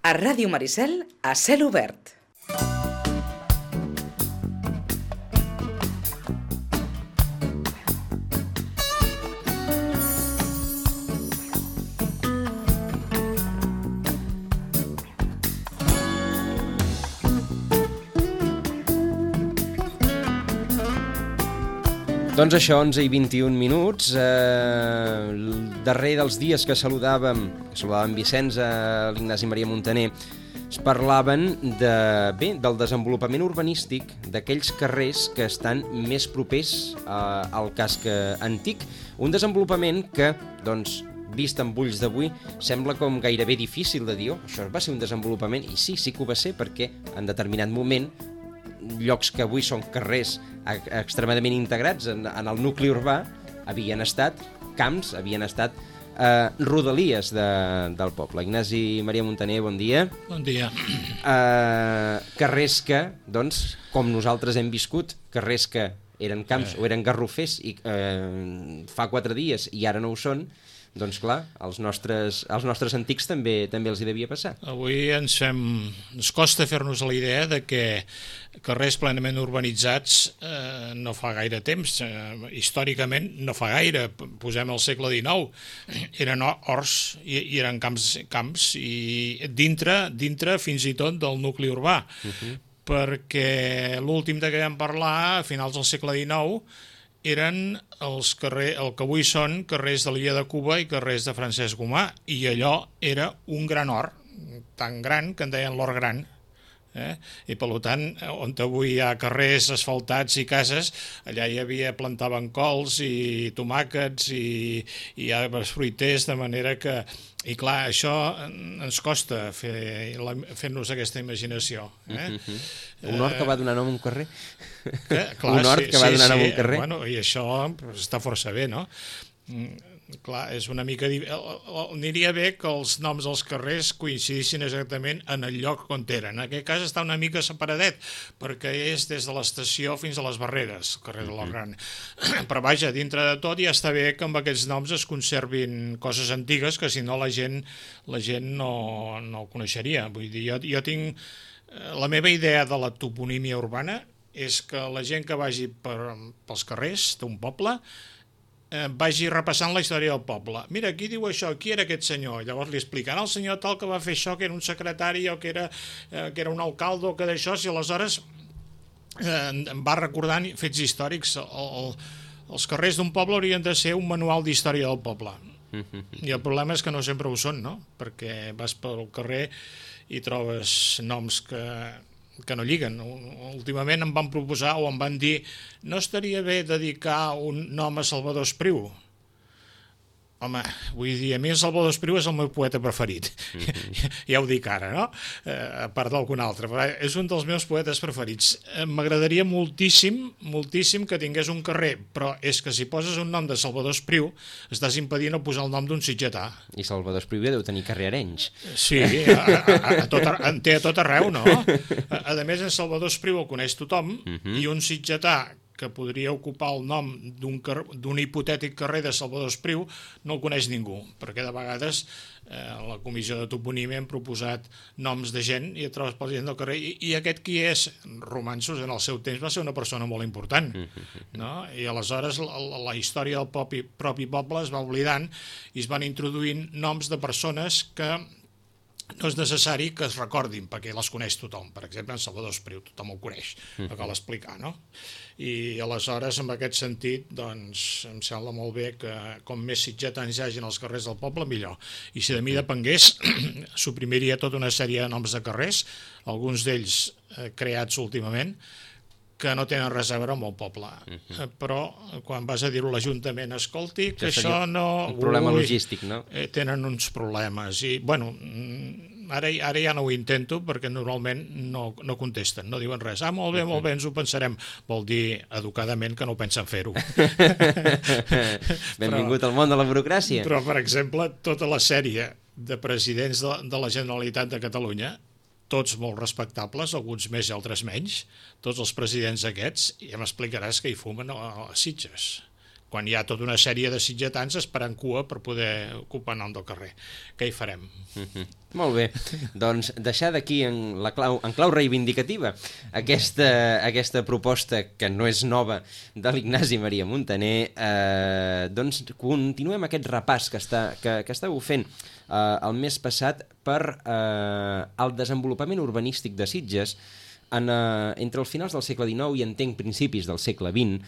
A Ràdio Maricel, a cel obert. Doncs això, 11 i 21 minuts, el darrer dels dies que saludàvem Vicenç, l'Ignasi Maria Montaner, es parlaven del desenvolupament urbanístic d'aquells carrers que estan més propers al casc antic. Un desenvolupament que, doncs, vist amb ulls d'avui, sembla com gairebé difícil de dir, això va ser un desenvolupament, i sí que ho va ser, perquè en determinat moment llocs que avui són carrers extremadament integrats en el nucli urbà havien estat camps, havien estat rodalies del poble. Ignasi Maria Montaner, bon dia. Bon dia. Carrers que, doncs, com nosaltres hem viscut, carrers que eren camps o eren garrofers i fa 4 dies i ara no ho són, doncs clar, als nostres antics també els hi devia passar. Avui ens costa fer-nos la idea de que carrers plenament urbanitzats no fa gaire temps, històricament no fa gaire, posem al segle XIX, eren horts i eren camps i dintre fins i tot del nucli urbà, perquè l'últim de què vam parlar, a finals del segle XIX, eren el que avui són carrers de l'illa de Cuba i carrers de Francesc Gomà, i allò era un gran hort, tan gran que en deien l'hort gran. I per tant, on avui hi ha carrers asfaltats i cases, allà plantaven cols i tomàquets i arbres fruiters, de manera que... I clar, això ens costa fer-nos aquesta imaginació. Un hort que va donar nom a un carrer? Un hort que va donar nom a un carrer? I això està força bé, no? Clar, és una mica... Aniria bé que els noms dels carrers coincidissin exactament en el lloc on eren. En aquest cas està una mica separadet, perquè és des de l'estació fins a les Barreres, el carrer de l'Hort Gran. Però vaja, dintre de tot ja està bé que amb aquests noms es conservin coses antigues, que si no la gent no ho coneixeria. Vull dir, jo tinc... La meva idea de la toponímia urbana és que la gent que vagi pels carrers d'un poble vagi repassant la història del poble. Mira, aquí diu això, qui era aquest senyor? Llavors li explicaran al senyor tal que va fer això, que era un secretari o que era un alcalde o que d'això, i aleshores em va recordant fets històrics. Els carrers d'un poble haurien de ser un manual d'història del poble. I el problema és que no sempre ho són, no? Perquè vas pel carrer i trobes noms que no lliguen. Últimament em van proposar o em van dir no estaria bé dedicar un nom a Salvador Espriu. Home, vull dir, a mi el Salvador Espriu és el meu poeta preferit. Ja ho dic ara, no? A part d'algun altre. Però és un dels meus poetes preferits. M'agradaria moltíssim que tingués un carrer, però és que si poses un nom de Salvador Espriu estàs impedint no posar el nom d'un sitgetà. I Salvador Espriu deu tenir carrer a Arenys. Sí, en té a tot arreu, no? A més, en Salvador Espriu el coneix tothom, i un sitgetà que podria ocupar el nom d'un hipotètic carrer de Salvador Espriu no el coneix ningú, perquè de vegades a la comissió de toponímia hem proposat noms de gent i et trobes per gent del carrer i aquest qui és? Romanços en el seu temps va ser una persona molt important, no? I aleshores la història del propi poble es va oblidant i es van introduint noms de persones que no és necessari que es recordin, perquè les coneix tothom. Per exemple, en Salvador Espriu, tothom el coneix, no cal explicar, no? I aleshores, en aquest sentit, doncs, em sembla molt bé que com més sitgetans hi hagi als carrers del poble, millor. I si de mi depengués, suprimiria tota una sèrie de noms de carrers, alguns d'ells creats últimament, que no tenen res a veure amb el poble. Però quan vas a dir-ho a l'Ajuntament, escolti, que això no... Un problema logístic, no? Tenen uns problemes. I, bueno, ara ja no ho intento perquè normalment no contesten, no diuen res. Molt bé, ens ho pensarem. Vol dir, educadament, que no pensen fer-ho. Benvingut al món de la burocràcia. Però, per exemple, tota la sèrie de presidents de la Generalitat de Catalunya, tots molt respectables, alguns més i altres menys, tots els presidents aquests, ja m'explicaràs que hi fumen a Sitges. quan hi ha tota una sèrie de sitgetans esperant cua per poder ocupar nom del carrer. Què hi farem? Molt bé, doncs deixar d'aquí en clau reivindicativa aquesta proposta que no és nova de l'Ignasi Maria Muntaner, doncs continuem aquest repàs que estàveu fent el mes passat per el desenvolupament urbanístic de Sitges entre els finals del segle XIX i entenc principis del segle XX,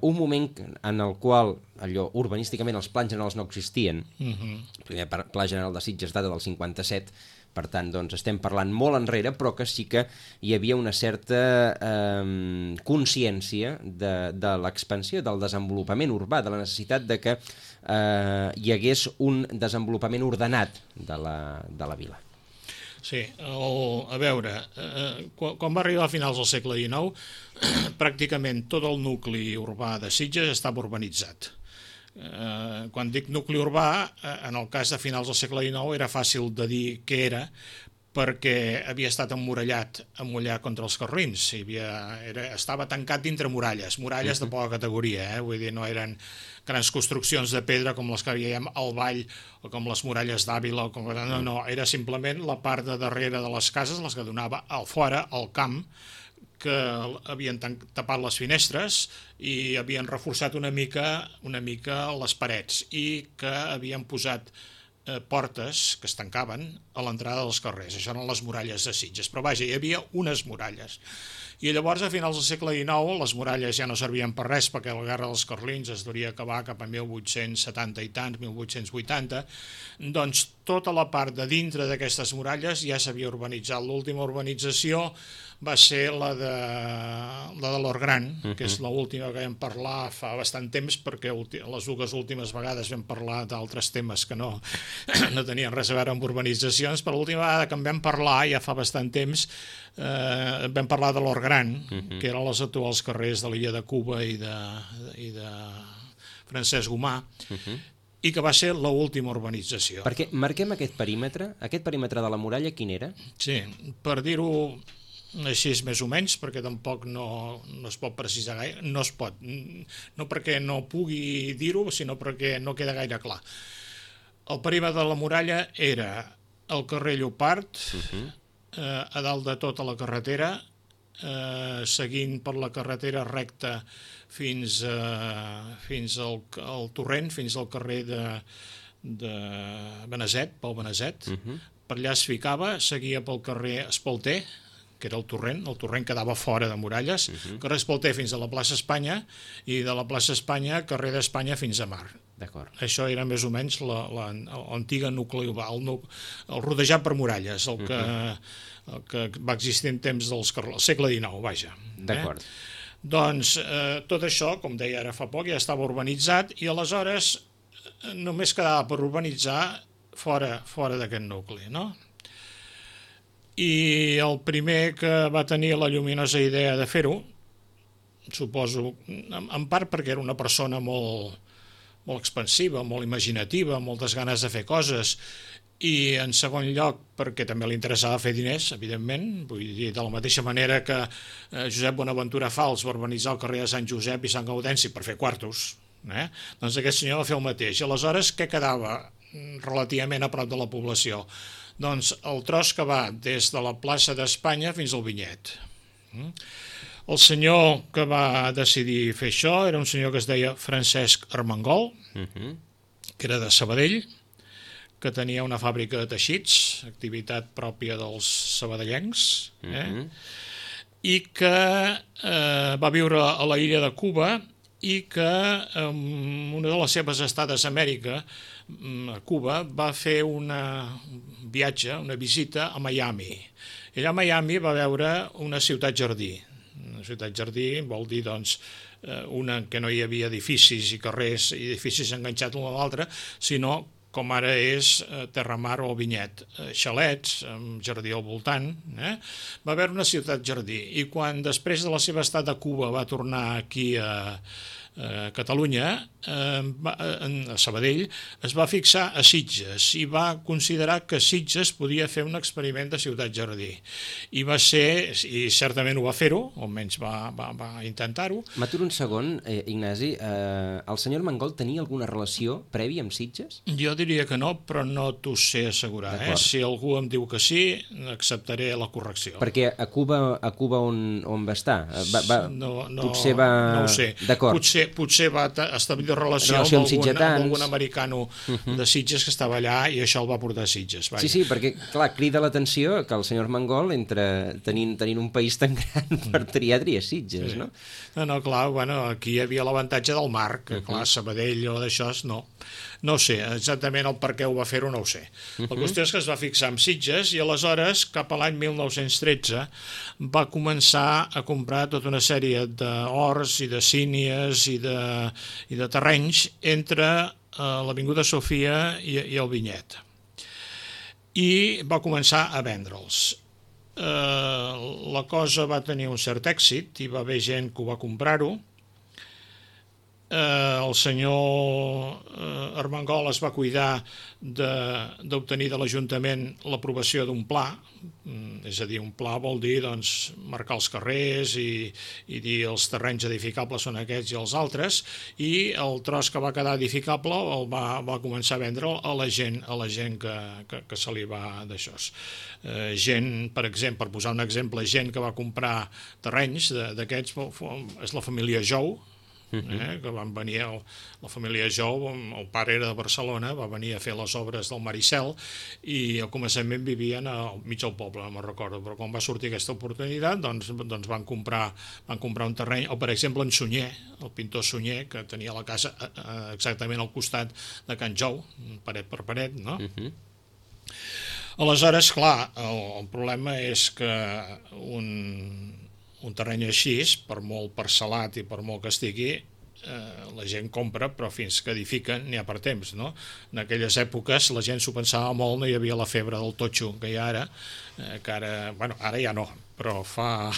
un moment en el qual allò urbanísticament els plans generals no existien. El primer pla general de Sitges data del 57, per tant doncs estem parlant molt enrere, però que sí que hi havia una certa consciència de l'expansió, del desenvolupament urbà, de la necessitat de que hi hagués un desenvolupament ordenat de la vila. Sí, a veure, quan va arribar a finals del segle XIX, pràcticament tot el nucli urbà de Sitges estava urbanitzat. Quan dic nucli urbà, en el cas de finals del segle XIX era fàcil de dir què era, perquè havia estat emmurallat contra els carlins, estava tancat dintre muralles de poca categoria, vull dir, no eren grans construccions de pedra com les que veiem al Vall o com les muralles d'Àvila, no, era simplement la part de darrere de les cases, les que donava al fora, al camp, que havien tapat les finestres i havien reforçat una mica les parets i que havien posat portes que es tancaven a l'entrada dels carrers. Això eren les muralles de Sitges, però vaja, hi havia unes muralles. I llavors, a finals del segle XIX, les muralles ja no servien per res perquè la guerra dels carlins es duria a acabar cap a 1870 i tants, 1880, doncs tota la part de dintre d'aquestes muralles ja s'havia urbanitzat. L'última urbanització va ser la de l'Orgran, que és l'última que vam parlar fa bastant temps, perquè les dues últimes vegades vam parlar d'altres temes que no tenien res a veure amb urbanitzacions, però l'última vegada que en vam parlar, ja fa bastant temps, vam parlar de l'Orgran, que eren els actuals carrers de l'illa de Cuba i de Francesc Gomà, i que va ser l'última urbanització. Perquè marquem aquest perímetre de la muralla, quin era? Sí, per dir-ho així més o menys, perquè tampoc no es pot precisar gaire, no es pot, no perquè no pugui dir-ho, sinó perquè no queda gaire clar. El perímetre de la muralla era el carrer Llopart, a dalt de tota la carretera, seguint per la carretera recta fins al torrent, fins al carrer de Beneset, Pau Beneset. Per allà es ficava, seguia pel carrer Espalter, que era el torrent quedava fora de muralles, carrer Espalter fins a la plaça Espanya i de la plaça Espanya, carrer d'Espanya fins a Mar. Això era més o menys l'antiga nucli urbà, el rodejat per muralles, el que va existir en temps del segle XIX, vaja. D'acord. Doncs tot això, com deia ara fa poc, ja estava urbanitzat i aleshores només quedava per urbanitzar fora d'aquest nucli, no? I el primer que va tenir la lluminosa idea de fer-ho, suposo, en part perquè era una persona molt expansiva, molt imaginativa, moltes ganes de fer coses, i en segon lloc perquè també li interessava fer diners, evidentment, vull dir, de la mateixa manera que Josep Bonaventura Fals va urbanitzar el carrer de Sant Josep i Sant Gaudenci per fer quartos, doncs aquest senyor va fer el mateix. Aleshores, què quedava relativament a prop de la població? Doncs el tros que va des de la plaça d'Espanya fins al Vinyet. El senyor que va decidir fer això era un senyor que es deia Francesc Armengol, que era de Sabadell, que tenia una fàbrica de teixits, activitat pròpia dels sabadellencs, i que va viure a la illa de Cuba i que en una de les seves estades a Amèrica, a Cuba, va fer un viatge, una visita a Miami. I allà a Miami va veure una ciutat jardí. Una ciutat jardí vol dir, doncs, una en què no hi havia edificis i carrers i edificis enganxats l'un a l'altre, sinó com ara és Terramar o Vinyet, xalets, amb jardí al voltant, va haver una ciutat jardí. I quan després de la seva estada a Cuba va tornar aquí a Catalunya, a Sabadell, es va fixar a Sitges i va considerar que Sitges podia fer un experiment de ciutat-jardí. I va ser, i certament ho va fer-ho, o almenys va intentar-ho. M'aturo un segon, Ignasi. El senyor Armengol tenia alguna relació prèvia amb Sitges? Jo diria que no, però no t'ho sé assegurar. Si algú em diu que sí, acceptaré la correcció. Perquè a Cuba on va estar? Potser va... No ho sé. D'acord. Potser va establir relació amb algun americano de Sitges que estava allà i això el va portar a Sitges. Vaja. Sí, perquè, clar, crida l'atenció que el senyor Armengol, tenint un país tan gran per triar Sitges, no? No, clar, aquí hi havia l'avantatge del mar, que clar, Sabadell o d'això, no. No sé, exactament el per què ho va fer-ho no ho sé. La qüestió és que es va fixar en Sitges i aleshores, cap a l'any 1913, va començar a comprar tota una sèrie d'horts i de sínies i de terrenys entre l'Avinguda Sofia i el Vinyet. I va començar a vendre'ls. La cosa va tenir un cert èxit i va haver gent que ho va comprar-ho. El senyor Armengol es va cuidar d'obtenir de l'Ajuntament l'aprovació d'un pla, és a dir, un pla vol dir marcar els carrers i dir els terrenys edificables són aquests i els altres, i el tros que va quedar edificable el va començar a vendre'l a la gent que se li va d'això. Gent, per exemple, per posar un exemple, gent que va comprar terrenys d'aquests és la família Jou, que van venir, la família Jou, el pare era de Barcelona, va venir a fer les obres del Maricel i al començament vivien al mig del poble, no me'n recordo, però quan va sortir aquesta oportunitat doncs van comprar un terreny, o per exemple en Sunyer, el pintor Sunyer, que tenia la casa exactament al costat de Can Jou, paret per paret, no? Aleshores, clar, el problema és que un terreny així, per molt parcel·lat i per molt que estigui, la gent compra, però fins que edifiquen n'hi ha per temps, no? En aquelles èpoques la gent s'ho pensava molt, no hi havia la febre del totxo que hi ha ara, que ara ja no, però fa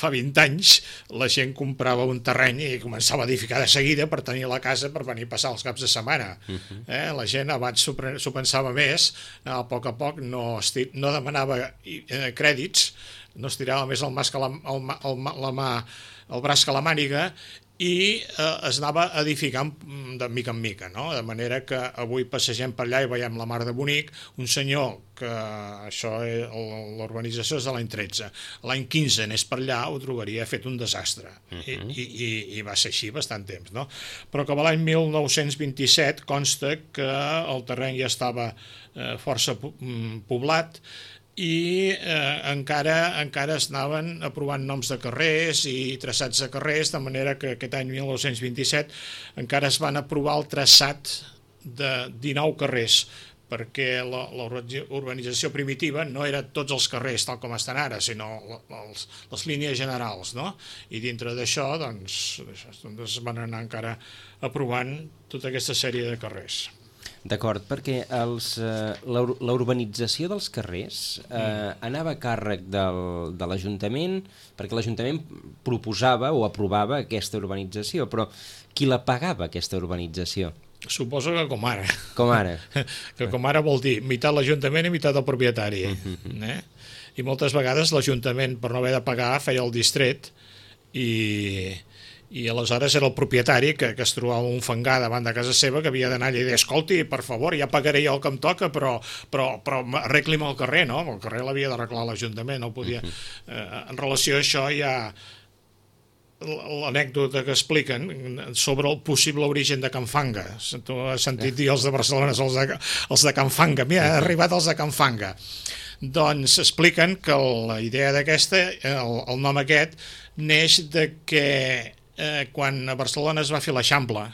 20 anys la gent comprava un terreny i començava a edificar de seguida per tenir la casa per venir a passar els caps de setmana. La gent abans s'ho pensava més, a poc, no demanava crèdits, no estirava més el braç que la màniga i es anava edificant de mica en mica, no? De manera que avui passegem per allà i veiem la mar de bonic, un senyor que l'urbanització és de l'any 13, l'any 15 anés per allà ho trobaria fet un desastre i va ser així bastant temps, no? Però que a l'any 1927 consta que el terreny ja estava força poblat i encara es anaven aprovant noms de carrers i traçats de carrers, de manera que aquest any 1927 encara es van aprovar el traçat de 19 carrers, perquè la urbanització primitiva no era tots els carrers tal com estan ara, sinó les línies generals, no? I dintre d'això es van anar encara aprovant tota aquesta sèrie de carrers. D'acord, perquè la urbanització dels carrers anava a càrrec de l'Ajuntament, perquè l'Ajuntament proposava o aprovava aquesta urbanització, però qui la pagava, aquesta urbanització? Suposo que com ara. Com ara. Que com ara vol dir meitat l'Ajuntament i meitat el propietari. I moltes vegades l'Ajuntament, per no haver de pagar, feia el distret i aleshores era el propietari que es trobava un fangar davant de casa seva que havia d'anar allà i dir, escolti, per favor, ja pagaré jo el que em toca, però arregli'm el carrer, no? El carrer l'havia d'arreglar l'Ajuntament, no podia... En relació a això hi ha l'anècdota que expliquen sobre el possible origen de Can Fanga. Tu has sentit dir els de Barcelona, els de Can Fanga. Mira, ha arribat els de Can Fanga. Doncs expliquen que la idea d'aquesta, el nom aquest, neix de que quan a Barcelona es va fer l'Eixample,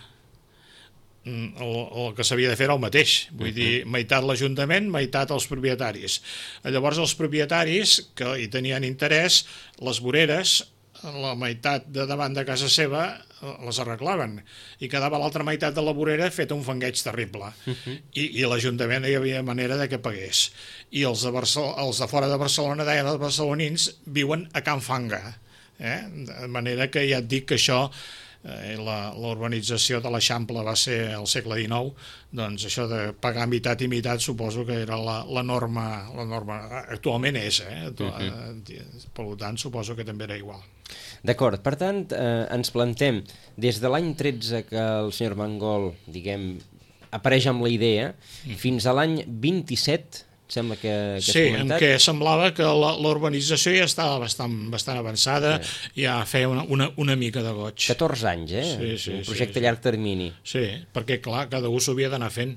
el que s'havia de fer era el mateix, vull dir, meitat l'Ajuntament, meitat els propietaris. Llavors els propietaris, que hi tenien interès, les voreres, la meitat de davant de casa seva les arreglaven i quedava l'altra meitat de la vorera feta un fangueig terrible i l'Ajuntament no hi havia manera de que pagués i els de fora de Barcelona deien els barcelonins viuen a Can Fanga, de manera que ja et dic que això la urbanització de l'Eixample va ser al segle XIX, doncs això de pagar mitat i mitat suposo que era la norma actualment és, per tant suposo que també era igual. D'acord, per tant, ens plantem des de l'any 13 que el senyor Armengol, diguem, apareix amb la idea, fins a l'any 27, sembla que has comentat. Sí, en què semblava que la urbanització ja estava bastant avançada, ja feia una mica de goig. 14 anys, un projecte a llarg termini. Sí, perquè clar, cada un s'ho havia d'anar fent.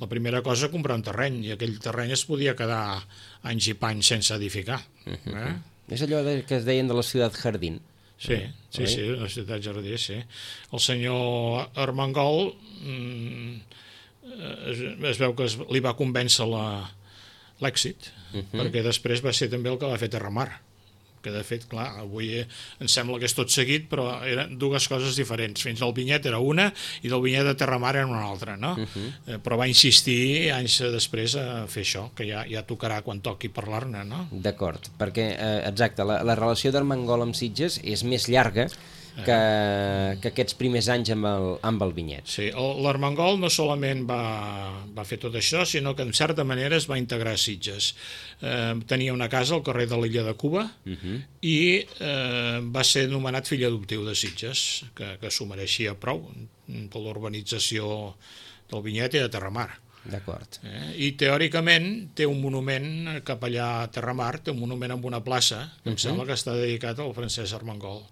La primera cosa, comprar un terreny, i aquell terreny es podia quedar anys i panys sense edificar. És allò que es deien de la ciutat jardín. Sí, la ciutat jardí, sí. El senyor Armengol es veu que li va convèncer l'èxit, perquè després va ser també el que va fer Terramar, que de fet, clar, avui em sembla que és tot seguit, però eren dues coses diferents. Fins al Vinyet era una i del Vinyet de Terramar era una altra, no? Però va insistir anys després a fer això, que ja tocarà quan toqui parlar-ne, no? D'acord, perquè, exacte, la relació d'Armengol amb Sitges és més llarga que aquests primers anys amb el Vinyet. Sí, l'Armengol no solament va fer tot això, sinó que en certa manera es va integrar a Sitges. Tenia una casa al carrer de l'Illa de Cuba i va ser nomenat fill adoptiu de Sitges, que s'ho mereixia prou per l'urbanització del Vinyet i de Terramar. D'acord. I teòricament té un monument cap allà a Terramar, té un monument amb una plaça que em sembla que està dedicat al Francesc Armengol,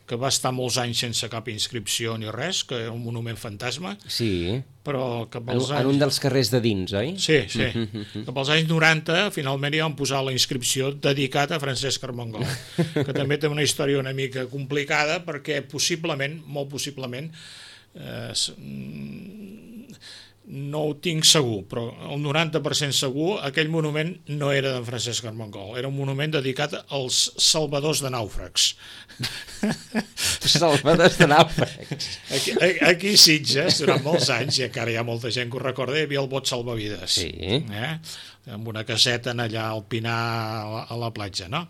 que va estar molts anys sense cap inscripció ni res, que era un monument fantasma. Sí, però cap als anys... en un dels carrers de dins, oi? Sí. Cap als anys 90 finalment hi van posar la inscripció dedicat a Francesc Armengol, que també té una història una mica complicada perquè possiblement, molt possiblement, no ho tinc segur, però el 90% segur, aquell monument no era d'en Francesc Armengol, era un monument dedicat als salvadors de nàufrags. Salvadors de nàufrags. Aquí a Sitges, durant molts anys, i encara hi ha molta gent que ho recorda, hi havia el bot salvavides. Sí. Amb una caseta allà al Pinar a la platja, no?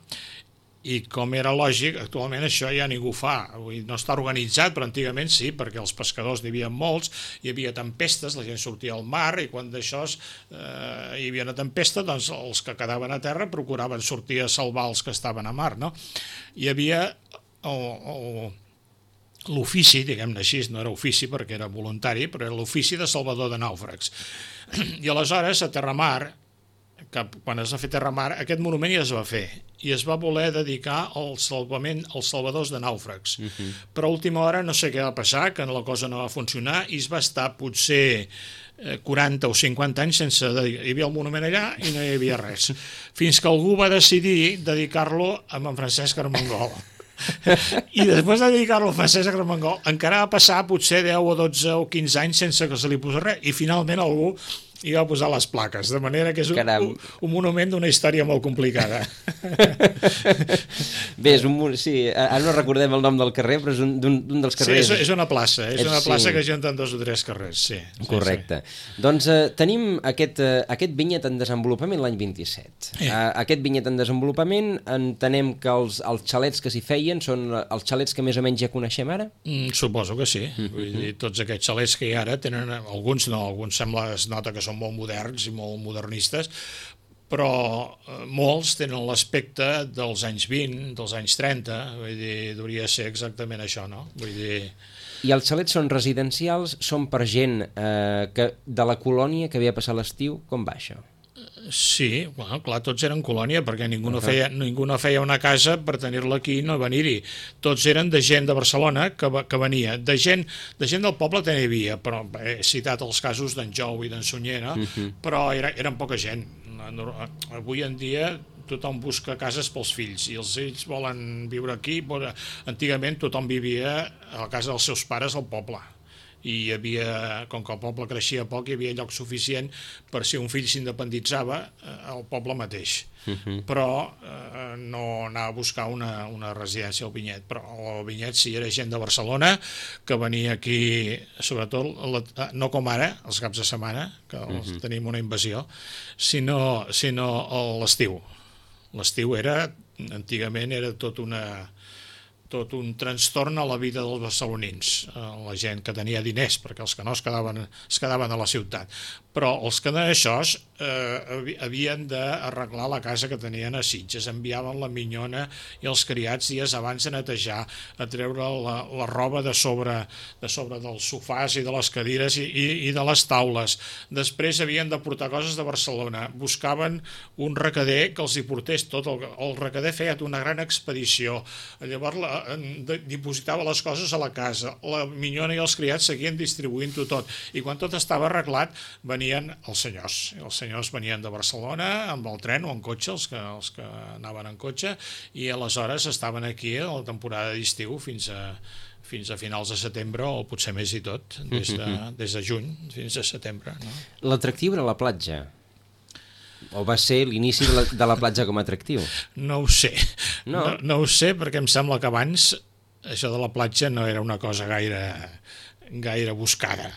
I com era lògic, actualment això ja ningú fa. No està organitzat, però antigament sí, perquè els pescadors n'hi havia molts, hi havia tempestes, la gent sortia al mar, i quan d'això hi havia una tempesta, doncs els que quedaven a terra procuraven sortir a salvar els que estaven a mar, no? Hi havia l'ofici, diguem-ne així, no era ofici perquè era voluntari, però era l'ofici de salvador de nàufrags. I aleshores a Terramar, quan es va fer Terramar, aquest monument ja es va fer i es va voler dedicar al salvament als salvadors de nàufrags. Però a última hora no sé què va passar, que la cosa no va funcionar i es va estar potser 40 o 50 anys sense dedicar. Hi havia el monument allà i no hi havia res. Fins que algú va decidir dedicar-lo a en Francesc Armengol. I després de dedicar-lo a Francesc Armengol encara va passar potser 10 o 12 o 15 anys sense que se li posés res i finalment algú i va posar les plaques, de manera que és un monument d'una història molt complicada. Bé, sí, ara no recordem el nom del carrer, però és un dels carrers... Sí, és una plaça, plaça que junten 2 o 3 carrers, sí. Correcte. Doncs tenim aquest vinyet en desenvolupament l'any 27. Aquest vinyet en desenvolupament, entenem que els xalets que s'hi feien són els xalets que més o menys ja coneixem ara? Suposo que sí. Vull dir, tots aquests xalets que hi ha ara tenen... Alguns no, alguns es nota que són molt moderns i molt modernistes, però molts tenen l'aspecte dels anys 20, dels anys 30, vull dir, hauria de ser exactament això, no? Vull dir... I els xalets són residencials, són per gent de la colònia que havia passat l'estiu, com va això? Sí, bueno, clar, tots eren colònia perquè ningú no feia una casa per tenir-la aquí i no venir-hi. Tots eren de gent de Barcelona que venia. De gent del poble també hi havia, però he citat els casos d'en Jou i d'en Sunyer, no? Però eren poca gent. Avui en dia tothom busca cases pels fills i els fills volen viure aquí. Antigament tothom vivia a la casa dels seus pares al poble. I hi havia, com que el poble creixia poc, hi havia lloc suficient per si un fill s'independitzava al poble mateix. Però no anava a buscar una residència al Vinyet. Però al Vinyet sí, era gent de Barcelona que venia aquí, sobretot, no com ara, els caps de setmana, que tenim una invasió, sinó a l'estiu. L'estiu antigament era tot una tot un trastorn a la vida dels barcelonins, la gent que tenia diners, perquè els que no es quedaven a la ciutat. Però els que no això havien d'arreglar la casa que tenien a Sitges, enviaven la minyona i els criats dies abans de netejar, a treure la roba de sobre dels sofàs i de les cadires i de les taules. Després havien de portar coses de Barcelona, buscaven un recader que els hi portés tot, el recader feia una gran expedició, llavors dipositava les coses a la casa, la minyona i els criats seguien distribuint-ho tot, i quan tot estava arreglat venien els senyors venien de Barcelona amb el tren o en cotxe, els que anaven en cotxe, i aleshores estaven aquí a la temporada d'estiu fins a finals de setembre, o potser més i tot, des de juny fins a setembre. No? L'atractiu era la platja? O va ser l'inici de la platja com a atractiu? No ho sé. No ho sé, perquè em sembla que abans això de la platja no era una cosa gaire buscada.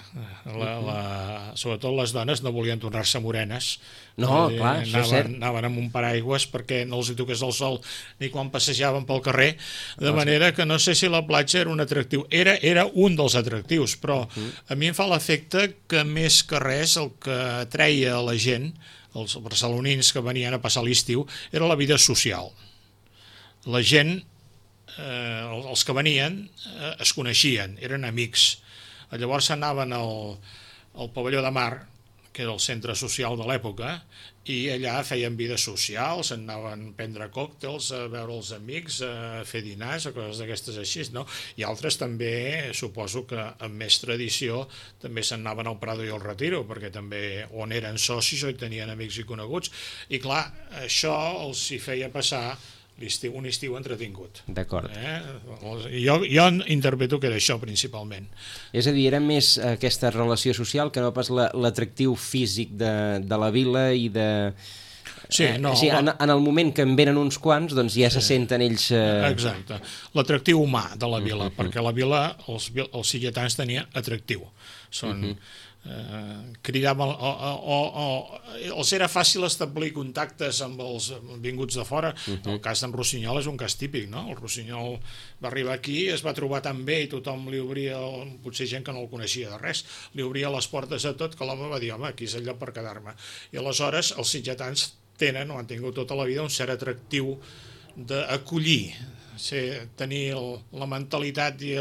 Sobretot les dones no volien tornar-se morenes. No, clar, això és cert. Anaven amb un paraigües perquè no els hi toqués el sol ni quan passejaven pel carrer, de manera que no sé si la platja era un atractiu. Era un dels atractius, però a mi em fa l'efecte que més que res el que atreia a la gent, els barcelonins que venien a passar l'estiu, era la vida social. La gent, els que venien, es coneixien, eren amics. Llavors anaven al pavelló de mar, que era el centre social de l'època, i allà feien vida social, s'anaven a prendre còctels, a veure els amics, a fer dinars, o coses d'aquestes així, no? I altres també, suposo que amb més tradició, també s'anaven al Prado i al Retiro, perquè també on eren socis o hi tenien amics i coneguts. I clar, això els hi feia passar un estiu entretingut. D'acord. Jo interpreto que era això principalment. És a dir, era més aquesta relació social que no pas l'atractiu físic de la vila i de... Sí, no, en el moment que en venen uns quants, doncs ja se senten ells... Exacte. L'atractiu humà de la vila, perquè la vila, els sitgetans tenien atractiu. Són... cridaven els era fàcil establir contactes amb els vinguts de fora. El cas d'en Rossinyol és un cas típic, no? El Rossinyol va arribar aquí, es va trobar tan bé i tothom li obria, potser gent que no el coneixia de res, li obria les portes a tot, que l'home va dir, home, aquí és el lloc per quedar-me. I aleshores els sitgetans tenen, o han tingut tota la vida, un cert atractiu d'acollir, tenir la mentalitat i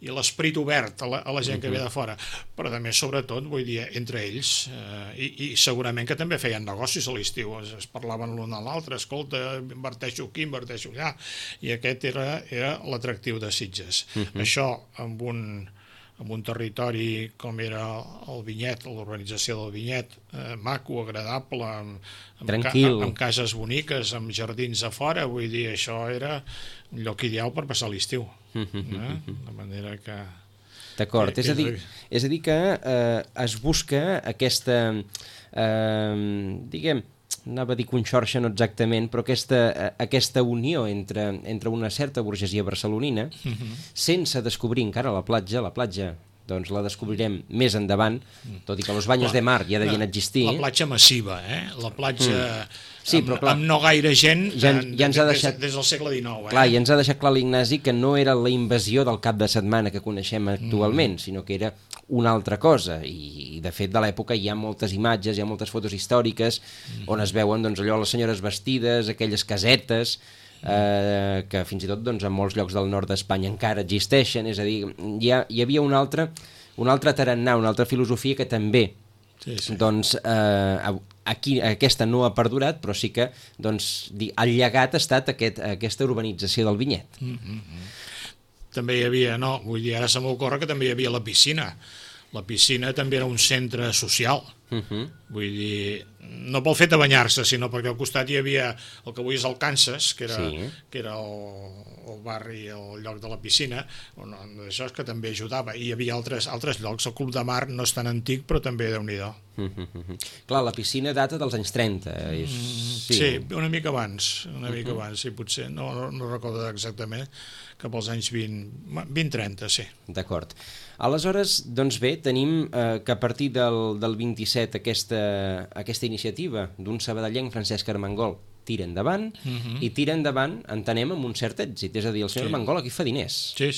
l'esperit obert a la gent que ve de fora, però també sobretot, vull dir, entre ells, i segurament que també feien negocis a l'estiu, es parlaven l'un a l'altre, escolta, inverteixo aquí, inverteixo allà, i aquest era l'atractiu de Sitges. Això amb un territori com era el Vinyet, l'urbanització del Vinyet, maco, agradable, amb cases boniques, amb jardins a fora, vull dir, això era un lloc ideal per passar l'estiu. De manera que... D'acord, és a dir que es busca aquesta, diguem, anava a dir conxorxa, no exactament, però aquesta unió entre una certa burgesia barcelonina, sense descobrir encara la platja, doncs la descobrirem més endavant, tot i que los baños de mar ja devien existir. La platja massiva, la platja amb no gaire gent des del segle XIX. Clar, i ens ha deixat clar l'Ignasi que no era la invasió del cap de setmana que coneixem actualment, sinó que era una altra cosa, i de fet de l'època hi ha moltes imatges, hi ha moltes fotos històriques on es veuen doncs, allò les senyores vestides, aquelles casetes que fins i tot doncs, en molts llocs del nord d'Espanya encara existeixen, és a dir, hi havia un altre tarannà, una altra filosofia que també doncs aquí aquesta no ha perdurat, però sí que doncs, el llegat ha estat aquesta urbanització del Vinyet. També hi havia, vull dir, ara se m'ocorre que també hi havia la piscina. La piscina també era un centre social. Vull dir, no pel fet de banyar-se, sinó perquè al costat hi havia el que avui és el Kansas, que era el barri, el lloc de la piscina, això és que també ajudava. I hi havia altres llocs. El Club de Mar no és tan antic, però també Déu-n'hi-do. Clar, la piscina data dels anys 30. Sí, una mica abans, sí, potser, no recordo exactament, cap als anys 20-30, sí. D'acord. Aleshores, doncs bé, tenim que a partir del 27 aquesta iniciativa d'un sabadellenc, Francesc Armengol, tira endavant, i tira endavant, entenem, amb un cert èxit. És a dir, el senyor Armengol aquí fa diners. Sí,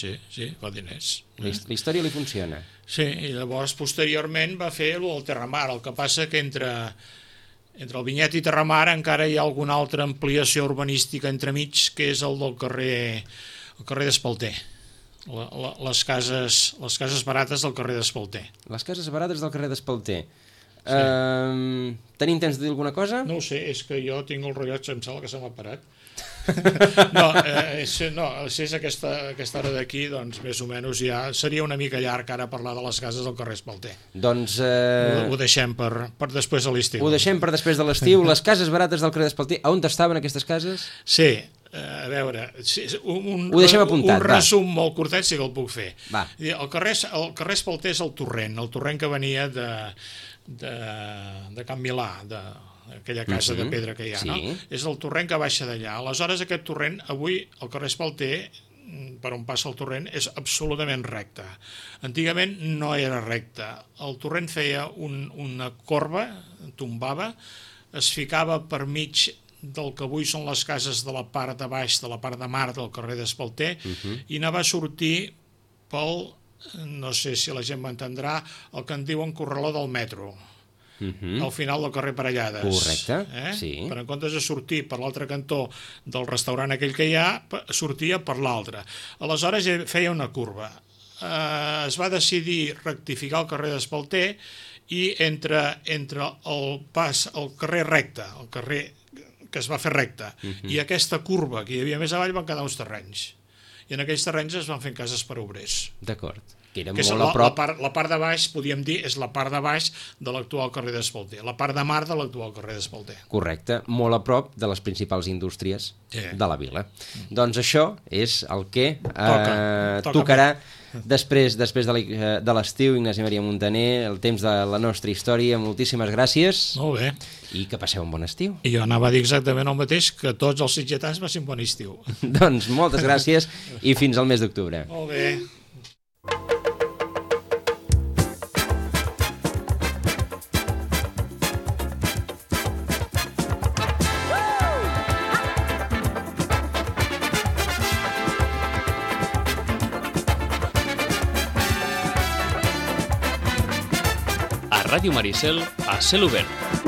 fa diners. La història li funciona. Sí, i llavors posteriorment va fer el Terramar, el que passa que entre el Vinyet i Terramar encara hi ha alguna altra ampliació urbanística entremig, que és el del carrer d'Espalter. Les cases barates del carrer d'Espalter. Les cases barates del carrer d'Espalter. Tenim temps de dir alguna cosa? No ho sé, és que jo tinc el rellotge, em sembla que se m'ha parat. És aquesta hora d'aquí, doncs més o menys ja seria una mica llarg ara parlar de les cases del carrer Espalter. Doncs ho deixem per després de l'estiu. Ho deixem per després de l'estiu. Les cases barates del carrer d'Espalter, on estaven aquestes cases? Sí, a veure, ho deixem apuntat, un resum molt curtet sí que el puc fer. Va. El carrer Espalter és el torrent que venia de Can Milà, aquella casa de pedra que hi ha, no? És el torrent que baixa d'allà. Aleshores, aquest torrent, avui, el carrer Espalter, per on passa el torrent, és absolutament recte. Antigament no era recte. El torrent feia una corba, tombava, es ficava per mig del que avui són les cases de la part de baix, de la part de mar del carrer d'Espalter, i anava a sortir pel, no sé si la gent m'entendrà, el que en diuen corraló del metro, al final del carrer Parellades. Correcte, sí. Per en comptes de sortir per l'altre cantó del restaurant aquell que hi ha, sortia per l'altre. Aleshores feia una curva. Es va decidir rectificar el carrer d'Espalter i entre el carrer recte, el carrer que es va fer recte, i aquesta curva que hi havia més avall van quedar uns terrenys. I en aquells terrenys es van fent cases per obrers. D'acord. Que era molt a prop. La part de baix, podríem dir, és la part de baix de l'actual carrer d'Espalter, la part de mar de l'actual carrer d'Espalter. Correcte, molt a prop de les principals indústries de la vila. Doncs això és el que tocarà després de l'estiu. Ignasi Maria Muntaner, el temps de la nostra història. Moltíssimes gràcies. Molt bé. I que passeu un bon estiu. I jo anava a dir exactament el mateix, que tots els sitgetans passin bon estiu. Doncs moltes gràcies i fins al mes d'octubre. Molt bé. Ràdio Maricel a cel obert.